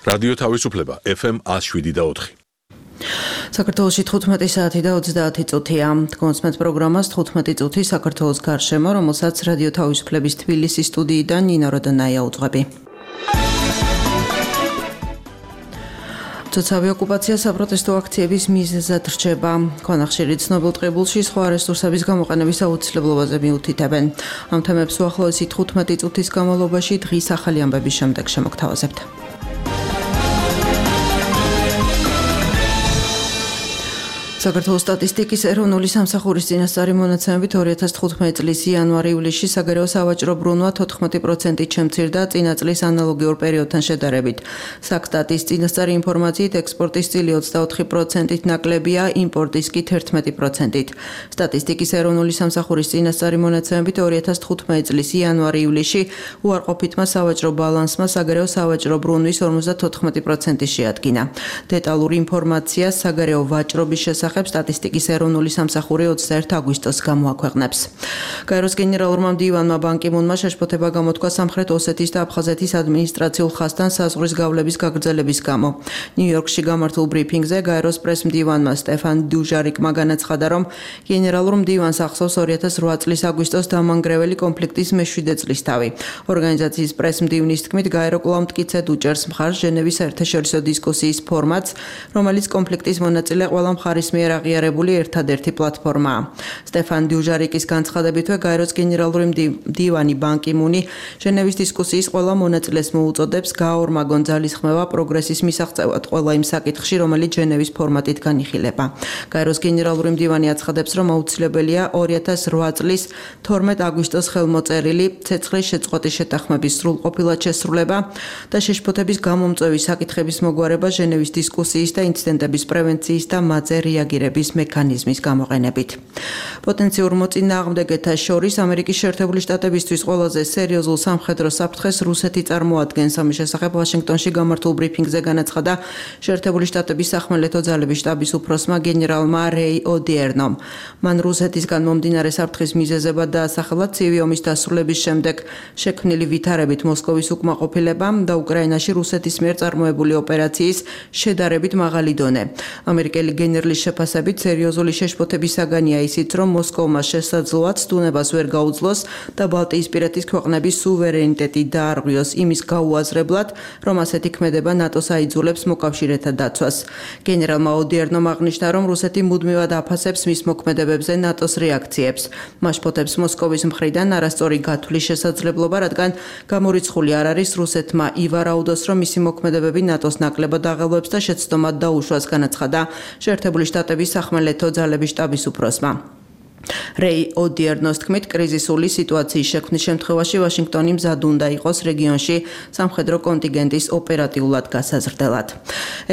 რადიო თავისუფლება FM 107.4. საქართველოში 15 საათი და 30 წუთია. კონსმეთ პროგრამას 15 წუთი საქართველოს გარშემო, რომელსაც რადიო თავისუფლების თბილისის სტუდიიდან ნინო როდონაია უძღვები. ცოცხალი ოკუპაცია საპროტესტო აქციების მიზეზად რჩება. ქვანახშირი ცნობილ ტყიბულში სხვა რესურსების გამოყენების აუცილებლობაზე მიუთითებენ. ამ თემებს უახლოესი 15 წუთის განმავლობაში დღის ახალი ამბების შემდეგ შემოგთავაზებთ. საქართველოს სტატისტიკის ეროვნული სამსახურის წინასწარი მონაცემებით 2015 წლის იანვარ-ივლისში საგარეო სავაჭრო ბრუნვა 14%-ით შემცირდა წინა წლის ანალოგიურ პერიოდთან შედარებით. საქსტატის წინასწარი ინფორმაციით ექსპორტის წილი 24%-ით ნაკლებია, იმპორტის კი 11%-ით. სტატისტიკის ეროვნული სამსახურის წინასწარი მონაცემებით 2015 წლის იანვარ-ივლისში უარყოფითმა სავაჭრო ბალანსმა საგარეო სავაჭრო ბრუნვის 54% შეადგინა. დეტალური ინფორმაცია საგარეო ვაჭრობის შესახებ სტატისტიკის ეროვნული სამსახური 21 აგვისტოს გამოაქვეყნებს. გაეროს გენერალურმა მდივანმა ბან კი მუნმა შეშფოთება გამოთქვა სამხრეთ ოსეთის და აფხაზეთის ადმინისტრაციულ ხაზთან საზღვრის გავლების გაგრძელების გამო. ნიუ-იორკში გამართულ ბრიფინგზე გაეროს პრეს-მდივანმა სტეფან დუჟარიკმა განაცხადა, რომ გენერალურ მდივანს ახსოვს 2008 წლის აგვისტოს დამანგრეველი კონფლიქტის მე-7 წლისთავი. ორგანიზაციის პრეს-მდივნის თქმით, გაერო კვლავ მტკიცედ უჭერს მხარს ჟენევის საერთაშორისო დისკუსიის ფორმატს, რომელიც კონფლიქტის მონაწილე ყველა მხარის მიერ აღიარებული ერთადერთი პლატფორმაა. სტეფან დუჟარიკის განცხადებითვე გაეროს გენერალური მდივანი ბან კი მუნი ჟენევის დისკუსიის ყველა მონაწილეს მოუწოდებს გააორმაგონ ძალისხმევა პროგრესის მისაღწევად ყველა იმ საკითხში, რომელიც ჟენევის ფორმატით განიხილება. გაეროს გენერალური მდივანი აცხადებს, რომ აუცილებელია 2008 წლის 12 აგვისტოს ხელმოწერილი ცეცხლის შეწყვეტის შეთანხმების სრულყოფილად შესრულება და შეშფოთების გამომწვევი საკითხების მოგვარება ჟენევის დისკუსიის და ინციდენტების პრევენციის და მათზე რეაგირების მექანიზმის გამოყენებით. პოტენციურ მოწინააღმდეგეთა შორის ამერიკის შეერთებული შტატებისთვის ყველაზე სერიოზულ სამხედრო საფრთხეს რუსეთი წარმოადგენს. ამის შესახებ ვაშინგტონში გამართულ ბრიფინგზე განაცხადა შეერთებული შტატების სახმელეთო ძალების შტაბის უფროსმა გენერალმა რეი ოდიერნომ. მან რუსეთისგან მომდინარე საფრთხის მიზეზებად დაასახელა ცივი ომის დასრულების შემდეგ შექმნილი ვითარებით მოსკოვის უკმაყოფილება და უკრაინაში რუსეთის მიერ წარმოებული ოპერაციის შედარებით მაღალი დონე. ამერიკელი გენერლის შეფასებით სერიოზული შეშფოთების საგანია ისიც, რომ მოსკოვმა შესაძლოა ცდუნებას ვერ გაუძლოს და ბალტიისპირეთის ქვეყნების სუვერენიტეტი დაარღვიოს იმის გაუაზრებლად, რომ ასეთი ქმედება ნატოს აიძულებს მოკავშირეთა დაცვას. გენერალმა ოდიერნომ აღნიშნა, რომ რუსეთი მუდმივად აფასებს მის მოქმედებებზე ნატოს რეაქციებს. მასშფოთებს მოსკოვის მხრიდან არასწორი გათვლის შესაძლებლობა, რადგან გამორიცხული არ არის რუსეთმა ივარაუდოს, რომ მისი მოქმედებები ნატოს ნაკლებად აღელვებს და შეცდომად დაუშვას, განაცხადა შეერთებული შტატების სახმელეთო ძალების შტაბის უფროსმა. რეი ოდიერნოს თქმით, კრიზისული სიტუაციის შექმნის შემთხვევაში ვაშინგტონი მზად უნდა იყოს რეგიონში სამხედრო კონტინგენტის ოპერატიულად გასაზრდელად.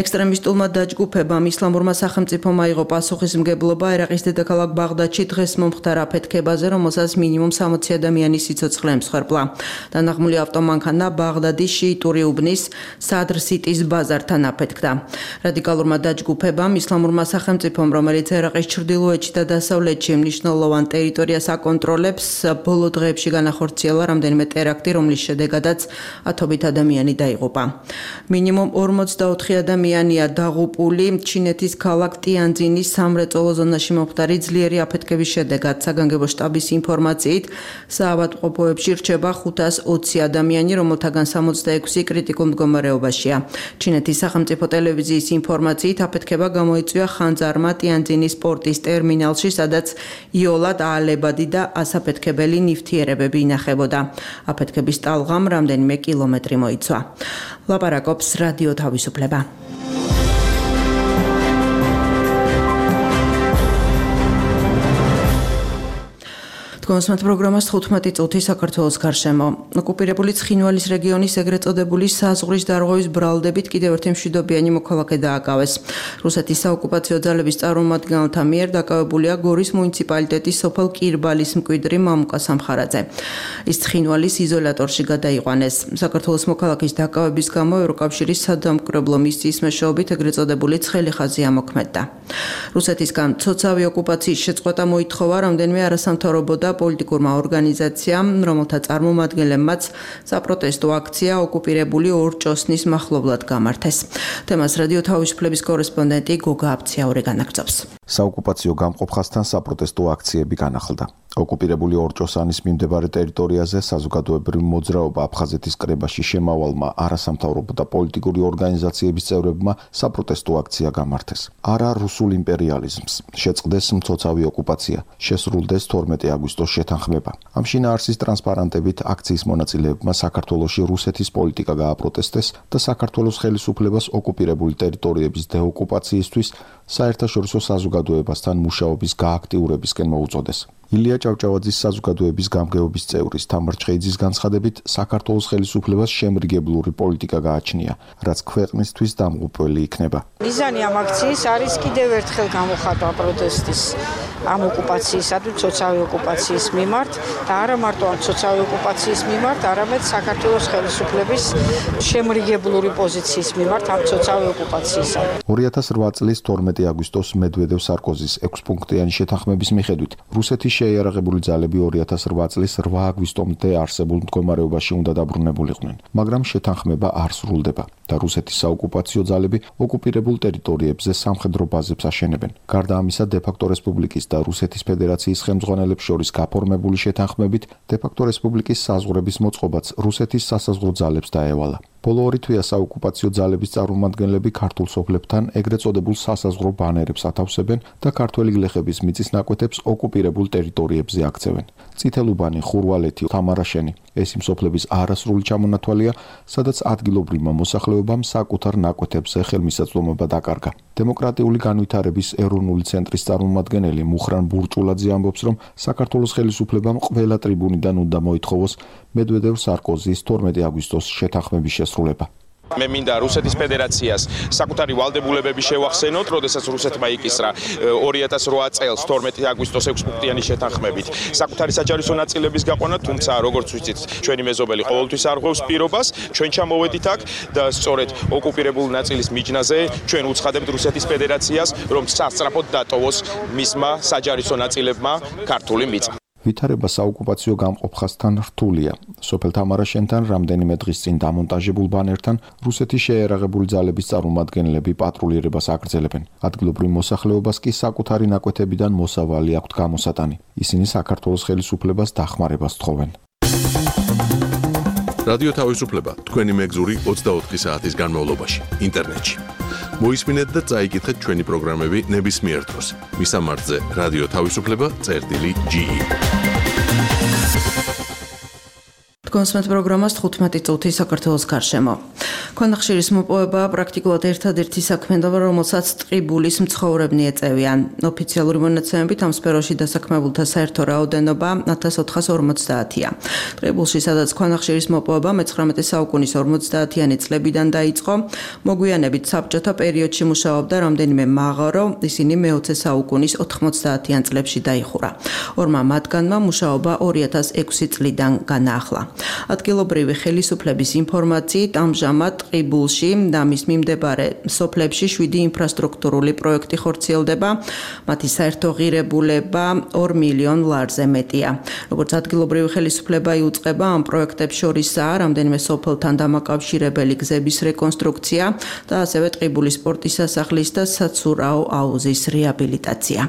ექსტრემისტულმა დაჯგუფებამ ისლამურმა სახელმწიფომ აიღო პასუხისმგებლობა ერაყის დედაქალაქ ბაღდადში დღეს მომხდარ აფეთქებაზე, რომელსაც მინიმუმ 60 ადამიანის სიცოცხლე ემსხვერპლა. დანაღმული ავტომანქანა ბაღდადის შიიტური უბნის სადრ სიტის ბაზართან აფეთქდა. რადიკალურმა დაჯგუფებამ ისლამურმა სახელმწიფომ, რომელიც ერაყის ჩრდილოეთში და დასავლეთში მნიშვნელოვან ტერიტორიას აკონტროლებს, ბოლო დღეებში განახორციელა რამდენიმე ტერაქტი, რომლის შედეგადაც ათობით ადამიანი დაიღუპა. მინიმუმ 44 ადამიანია დაღუპული ჩინეთის ქალაქ ტიანძინის სამრეწველო ზონაში მომხდარი ძლიერი აფეთქების შედეგად. საგანგებო შტაბის ინფორმაციით, საავადმყოფოებში რჩება 520 ადამიანი, რომელთაგან 66 კრიტიკულ მდგომარეობაშია. ჩინეთის სახელმწიფო ტელევიზიის ინფორმაციით, აფეთქება გამოიწვია ხანძარმა ტიანძინის პორტის ტერმინალში, სადაც იოლად აალებადი და ასაფეთქებელი ნივთიერებები ინახებოდა. აფეთქების ტალღამ რამდენიმე კილომეტრი მოიცვა. ლაპარაკობს რადიო თავისუფლება. კონსმეთ პროგრამას 15 წუთი საქართველოს გარშემო. ოკუპირებული ცხინვალის რეგიონის ეგრეთ წოდებული საზღვრის დარღვევის ბრალდებით კიდევ ერთი მშვიდობიანი მოქალაქე დააკავეს. რუსეთის საოკუპაციო ძალების წარმომადგენელთა მიერ დაკავებულია გორის მუნიციპალიტეტის სოფელ კირბალის მკვიდრი მამუკა სამხარაძე. ის ცხინვალის იზოლატორში გადაიყვანეს. საქართველოს მოქალაქის დაკავების გამო ევროკავშირის სადამკვირვებლო მისიის მეშვეობით ეგრეთ წოდებული ცხელი ხაზი ამოქმედდა. რუსეთისგან ცოცავი ოკუპაციის შეწყვეტა მოითხოვა, რამდენიმე არასამთავრობო და პოლიტიკურმა ორგანიზაციამ, რომელთა წარმომადგენლებმაც საპროტესტო აქცია ოკუპირებული ორჭოსნის მახლობლად გამართეს. თემას რადიო თავისუფლების კორესპონდენტი გოგა აბციაური განაგრძობს. საოკუპაციო გამყოფხასთან საპროტესტო აქციები განახლდა. ოკუპირებული ორჭოსანის მიმდებარე ტერიტორიაზე საზოგადოებრივი მოძრაობა აფხაზეთის კრებაში შემავალმა არასამთავრობო და პოლიტიკური ორგანიზაციების წევრებმა საპროტესტო აქცია გამართეს. არა რუსულ იმპერიალიზმს, შეწყდეს მცოცავი ოკუპაცია, შესრულდეს 12 აგვისტოს შეთანხმება. ამ შინაარსის ტრანსპარანტებით აქციის მონაწილეებმა საქართველოში რუსეთის პოლიტიკა გააპროტესტეს და საქართველოს ხელისუფლებას ოკუპირებული ტერიტორიების დეოკუპაციისთვის საერთაშორისო საზოგადოებასთან მუშაობის გააქტიურებისკენ მოუწოდეს. ილია ჭავჭავაძის საზოგადოების გამგეობის წევრის თამარ ჩხეიძის განცხადებით, საქართველოს ხელისუფლებას შემრიგებლური პოლიტიკა გააჩნია, რაც ქვეყნისთვის დამღუპველი იქნება. მიზანი ამ აქციის არის კიდევ ერთხელ გამოხატვა პროტესტის ამ ოკუპაციისა თუ ცოცავი ოკუპაციის მიმართ და არა მარტო ამ ცოცავი ოკუპაციის მიმართ, არამედ საქართველოს ხელისუფლების შემრიგებლური პოზიციის მიმართ ამ ცოცავი ოკუპაციისა. 2008 წლის 12 აგვისტოს მედვედევ-სარკოზის 6-პუნქტიანი შეთანხმების მიხედვით რუსეთის შეიარაღებული ძალები 2008 წლის 8 აგვისტომდე არსებულ მდგომარეობაში უნდა დაბრუნებულიყვნენ, მაგრამ შეთანხმება არ სრულდება და რუსეთის საოკუპაციო ძალები ოკუპირებულ ტერიტორიებზე სამხედრო ბაზებს აშენებენ. გარდა ამისა, დე-ფაქტო რესპუბლიკის და რუსეთის ფედერაციის ხელმძღვანელებს შორის გაფორმებული შეთანხმებით დე-ფაქტო რესპუბლიკის საზღვრების მოწყობაც რუსეთის სასაზღვრო ძალებს დაევალა. ბოლო 2 თვეა საოკუპაციო ძალების წარმომადგენლები ქართულ სოფლებთან ეგრეთ წოდებულ სასაზღვრო ბანერებს ათავსებენ და ქართველი გლეხების მიწის ნაკვეთებს ოკუპირებულ ტერიტორიებზე აქცევენ. წითელუბანი, ხურვალეთი, თამარაშენი ეს იმ სოფლების არასრული ჩამონათვალია, სადაც ადგილობრივმა მოსახლეობამ საკუთარ ნაკვეთებზე ხელმისაწვდომობა დაკარგა. დემოკრატიული განვითარების ეროვნული ცენტრის წარმომადგენელი მუხრან ბურჭულაძე ამბობს, რომ საქართველოს ხელისუფლებამ ყველა ტრიბუნიდან უნდა მოითხოვოს მედვედევ-სარკოზის 12 აგვისტოს შეთანხმების შესრულება. მე მინდა რუსეთის ფედერაციას საკუთარი ვალდებულებები შევახსენოთ, როდესაც რუსეთმა იკისრა 2008 წელს 12 აგვისტოს 6-პუნქტიანი შეთანხმებით საკუთარი საჯარისო ნაწილების გაყვანა, თუმცა როგორც ვიცით, ჩვენი მეზობელი ყოველთვის არღვევს პირობას, ჩვენ ჩამოვედით აქ და სწორედ ოკუპირებული ნაწილის მიჯნაზე ჩვენ უცხადებთ რუსეთის ფედერაციას, რომ სასწრაფოდ დატოვოს მისმა საჯარისო ნაწილებმა ქართული მიწა. ვითარება საოკუპაციო გამყოფხასთან რთულია. სოფელ თამარაშენთან რამდენიმე დღის წინ დამონტაჟებულ ბანერთან რუსეთის შეიარაღებული ძალების წარმომადგენლები პატრულირებას აგრძელებენ. ადგილობრივ მოსახლეობას კი საკუთარი ნაკვეთებიდან მოსავალი აქვთ გამოსატანი. ისინი საქართველოს ხელისუფლებას დახმარებას თხოვენ. რადიო თავისუფლება თქვენი მეგზური 24 საათის განმავლობაში ინტერნეტში. მოისმინეთ და წაიკითხეთ ჩვენი პროგრამები ნებისმიერ დროს. მისამართზე რადიო თავისუფლება.ge. კონსმეთ პროგრამას 15 წუთი საქართველოს გარშემო. ქვანახშირის მოპოვება პრაქტიკულად ერთადერთი საქმიანობა, რომელსაც ტყიბულის მცხოვრებნი ეწევიან. ოფიციალური მონაცემებით ამ სფეროში დასაქმებულთა საერთო რაოდენობა 1450-ია. ტყიბულში, სადაც ქვანახშირის მოპოვება მე-19 საუკუნის 50-იანი წლებიდან დაიწყო, მოგვიანებით საბჭოთა პერიოდში მუშაობდა რამდენიმე მაღარო, ისინი მე-20 საუკუნის 90-იან წლებში დაიხურა. ორმა მათგანმა მუშაობა 2006 წლიდან განაახლა. ადგილობრივი ხელისუფლების ინფორმაციით ამჟამად ტყიბულში და მის მიმდებარე სოფლებში 7 ინფრასტრუქტურული პროექტი ხორციელდება, მათი საერთო ღირებულება 2 მილიონ ლარზე მეტია. როგორც ადგილობრივი ხელისუფლება იუწყება, ამ პროექტებს შორისაა რამდენიმე სოფელთან დამაკავშირებელი გზების რეკონსტრუქცია და ასევე ტყიბულის სპორტის სასახლის და საცურაო აუზის რეაბილიტაცია.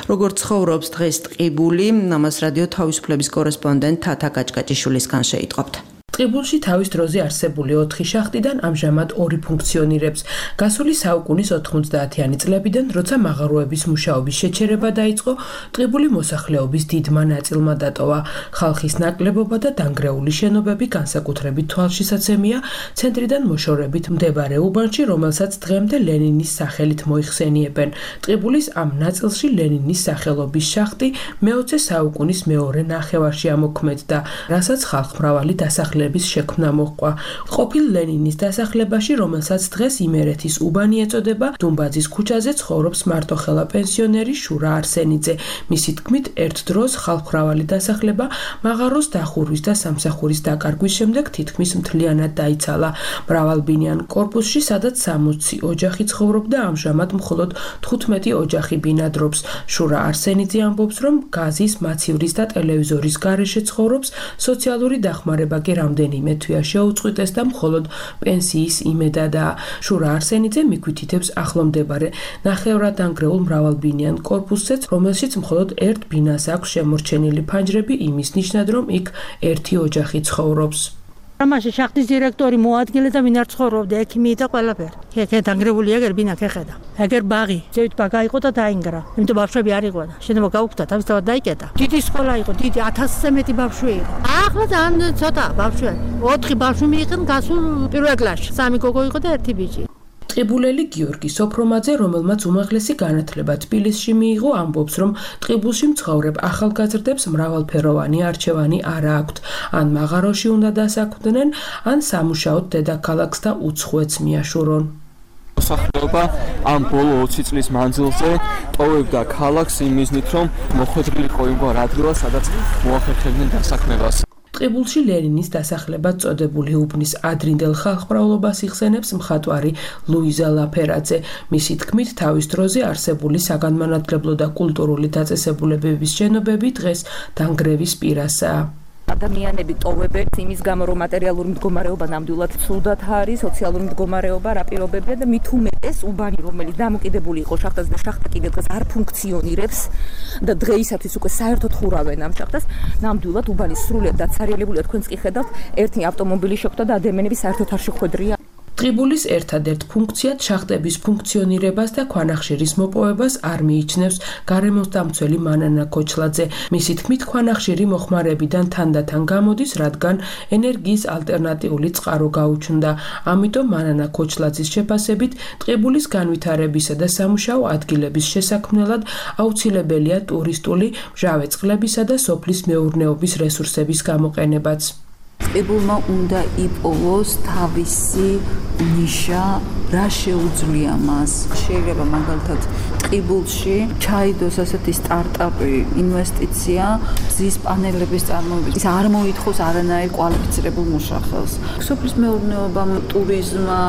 როგორც ცხოვრობს დღეს ტყიბული, ამას რადიო თავისუფლების კორესპონდენტ თათა გაჭკაჭიშვილისგან შეიტყობთ. ტყიბულში თავის დროზე არსებული 4 შახტიდან ამჟამად 2 ფუნქციონირებს. გასული საუკუნის 90-იანი წლებიდან, როცა მაღაროების მუშაობის შეჩერება დაიწყო, ტყიბული მოსახლეობის დიდმა ნაწილმა დატოვა. ხალხის ნაკლებობა და დანგრეული შენობები განსაკუთრებით თვალშისაცემია ცენტრიდან მოშორებით მდებარე უბანში, რომელსაც დღემდე ლენინის სახელით მოიხსენიებენ. ტყიბულის ამ ნაწილში ლენინის სახელობის შახტი მე-20 საუკუნის მეორე ნახევარში ამოქმედდა, რასაც ხალხმრავალი დასახლება დასახლების შექმნა მოჰყვა. ყოფილ ლენინის დასახლებაში, რომელსაც დღეს იმერეთის უბანი ეწოდება, დუმბაძის ქუჩაზე ცხოვრობს მარტოხელა პენსიონერი შურა არსენიძე. მისი თქმით, ერთ დროს ხალხმრავალი დასახლება მაღაროს დახურვის და სამსახურის დაკარგვის შემდეგ თითქმის მთლიანად დაიცალა. მრავალბინიან კორპუსში, სადაც 60 ოჯახი ცხოვრობდა, ამჟამად მხოლოდ 15 ოჯახი ბინადრობს. შურა არსენიძე ამბობს, რომ გაზის, მაცივრის და ტელევიზორის გარეშე ცხოვრობს, სოციალური დახმარება კი რამდენიმე თვეა შეუწყვიტეს და მხოლოდ პენსიის იმედადაა. შურა არსენიძე მიგვითითებს ახლომდებარე ნახევრად დანგრეულ მრავალბინიან კორპუსზეც, რომელშიც მხოლოდ ერთ ბინას აქვს შემორჩენილი ფანჯრები იმის ნიშნად, რომ იქ ერთი ოჯახი ცხოვრობს. მაშინ შახტის დირექტორი მოადგილე და ვინ არ ცხოვრობდა, ექიმი და ყველაფერი. ეგ დანგრეულია, ეგ ბინა ქეხედა. ეგ ბაღი, ზევით ბაგა იყო და დაინგრა. იმიტომ ბავშვები არ იყო და შენობა გაუქმდა, თავისთავად დაიკეტა. დიდი სკოლა იყო, დიდი 1000-ზე მეტი ბავშვი იყო. ახლა ძალიან ცოტა ბავშვი. 4 ბავშვი მიიღენ გასულ პირველ კლასში. 3 გოგო იყო და 1 ბიჭი. ტყიბულელი გიორგი სოფრომაძე, რომელმაც უმაღლესი განათლება თბილისში მიიღო, ამბობს, რომ ტყიბულში მცხოვრებ ახალგაზრდებს მრავალფეროვანი არჩევანი არ აქვთ. ან მაღაროში უნდა დასაქმდნენ, ან სამუშაოდ დედაქალაქს და უცხოეთს მიაშურონ. მოსახლეობა ამ ბოლო 20 წლის მანძილზე ტოვებდა ქალაქს იმ მიზნით, რომ მოხვედრილიყო იმგვარ ადგილას, სადაც მოახერხებდნენ დასაქმებას. ტყიბულში ლენინის დასახლებად წოდებული უბნის ადრინდელ ხალხმრავლობას იხსენებს მხატვარი ლუიზა ლაფერაძე. მისი თქმით, თავის დროზე არსებული საგანმანათლებლო და კულტურული დაწესებულებების შენობები დღეს დანგრევის პირასაა. ადამიანები ტოვებენ იმის გამო, რომ მატერიალური მდგომარეობა ნამდვილად ცუდად არის, სოციალური მდგომარეობა რა პირობებია და მით უმეტეს უბანი, რომელიც დამოკიდებული იყო შახტაზე და შახტა კიდევ დღეს არ ფუნქციონირებს და დღეისათვის უკვე საერთოდ ხურავენ ამ შახტას, ნამდვილად უბანი სრულიად დაცარიელებულია. თქვენც კი ხედავთ, ერთი ავტომობილი შეხვდა და ადამიანები საერთოდ არ შეხვედრია. ტყიბულის ერთადერთ ფუნქციად შახტების ფუნქციონირებას და ქვანახშირის მოპოვებას არ მიიჩნევს გარემოსდამცველი მანანა ქოჩლაძე. მისი თქმით, ქვანახშირი მოხმარებიდან თანდათან გამოდის, რადგან ენერგიის ალტერნატიული წყარო გაუჩნდა. ამიტომ მანანა ქოჩლაძის შეფასებით, ტყიბულის განვითარებისა და სამუშაო ადგილების შესაქმნელად აუცილებელია ტურისტული, მჟავე წყლებისა და სოფლის მეურნეობის რესურსების გამოყენებაც. ტყიბულმა უნდა იპოვოს თავისი ნიშა, რა შეუძლია მას. შეიძლება მაგალითად ტყიბულში ჩაიდოს ასეთი სტარტაპი ინვესტიცია მზის პანელების წარმოებით. ის არ მოითხოვს არანაირ კვალიფიცირებულ მუშახელს. სოფლის მეურნეობამ, ტურიზმმა,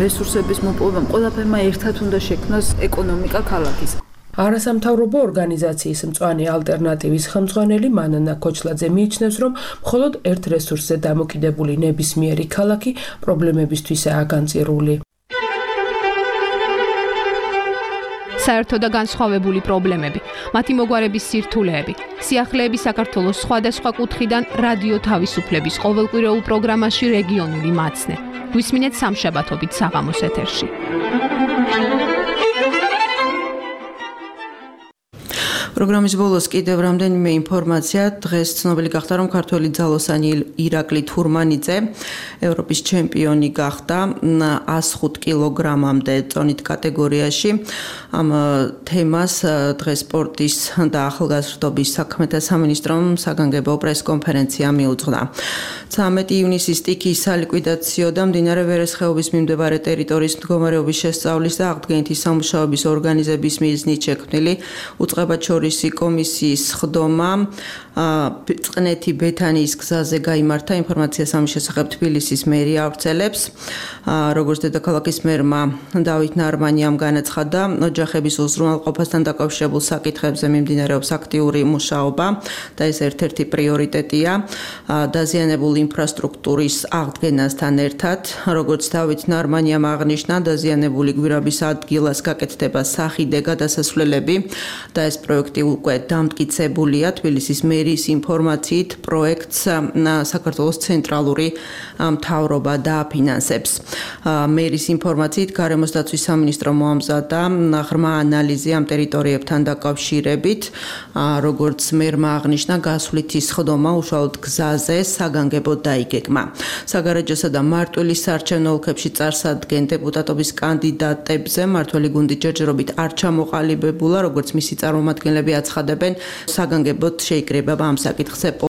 რესურსების მოპოვებამ ყველაფერმა ერთად უნდა შექმნას ეკონომიკა ქალაქის. არასამთავრობო ორგანიზაციის მწვანე ალტერნატივის ხელმძღვანელი მანანა ქოჩლაძე მიიჩნევს, რომ მხოლოდ ერთ რესურსზე დამოკიდებული ნებისმიერი ქალაქი პრობლემებისთვისაა განწირული. საერთო და განსხვავებული პრობლემები, მათი მოგვარების სირთულეები, სიახლეები საქართველოს სხვადასხვა კუთხიდან რადიო თავისუფლების ყოველკვირეულ პროგრამაში რეგიონული მაცნე. გვისმინეთ სამშაბათობით საღამოს ეთერში. პროგრამის ბოლოს კიდევ რამდენიმე ინფორმაცია. დღეს ცნობილი გახდა, რომ ქართველი ძალოსანი ირაკლი თურმანიძე ევროპის ჩემპიონი გახდა 105 კილოგრამამდე წონით კატეგორიაში. ამ თემას დღეს სპორტის და ახალგაზრდობის საქმეთა სამინისტრომ საგანგებო პრესკონფერენცია მიუძღვნა. 13 ივნისის სტიქიის სალიკვიდაციო და მდინარე ვერეს ხეობის მიმდებარე ტერიტორიის მდგომარეობის შესწავლის და აღდგენითი სამუშაოების ორგანიზების მიზნით შექმნილი უწყებაჩორისი კომისიის ხდომა წყნეთი ბეთანიის გზაზე გაიმართა. ინფორმაციას ამის შესახებ თბილისის მერია ავრცელებს. როგორც დედაქალაქის მერმა დავით ნარმანიამ განაცხადა, ოჯახების უზრუნველყოფასთან დაკავშირებულ საკითხებზე მიმდინარეობს აქტიური მუშაობა და ეს ერთ-ერთი პრიორიტეტია დაზიანებული ინფრასტრუქტურის აღდგენასთან ერთად. როგორც დავით ნარმანიამ აღნიშნა, დაზიანებული გვირაბის ადგილას გაკეთდება სახიდე გადასასვლელები და ეს პროექტი უკვე დამტკიცებულია. თბილისის მერიის ინფორმაციით პროექტს საქართველოს ცენტრალური მთავრობა დააფინანსებს. მერის ინფორმაციით გარემოს დაცვის სამინისტრო მოამზადა ღრმა ანალიზი ამ ტერიტორიებთან დაკავშირებით. როგორც მერმა აღნიშნა, გასვლითი სხდომა უშუალოდ გზაზე საგანგებოდ დაიგეგმა. საგარეჯოსა და მარტვილის საარჩევნო ოლქებში წარსადგენ დეპუტატობის კანდიდატებზე მმართველი გუნდი ჯერჯერობით არ ჩამოყალიბებულა, როგორც მისი წარმომადგენლები აცხადებენ, საგანგებოდ შეიკრიბება ამ საკითხზე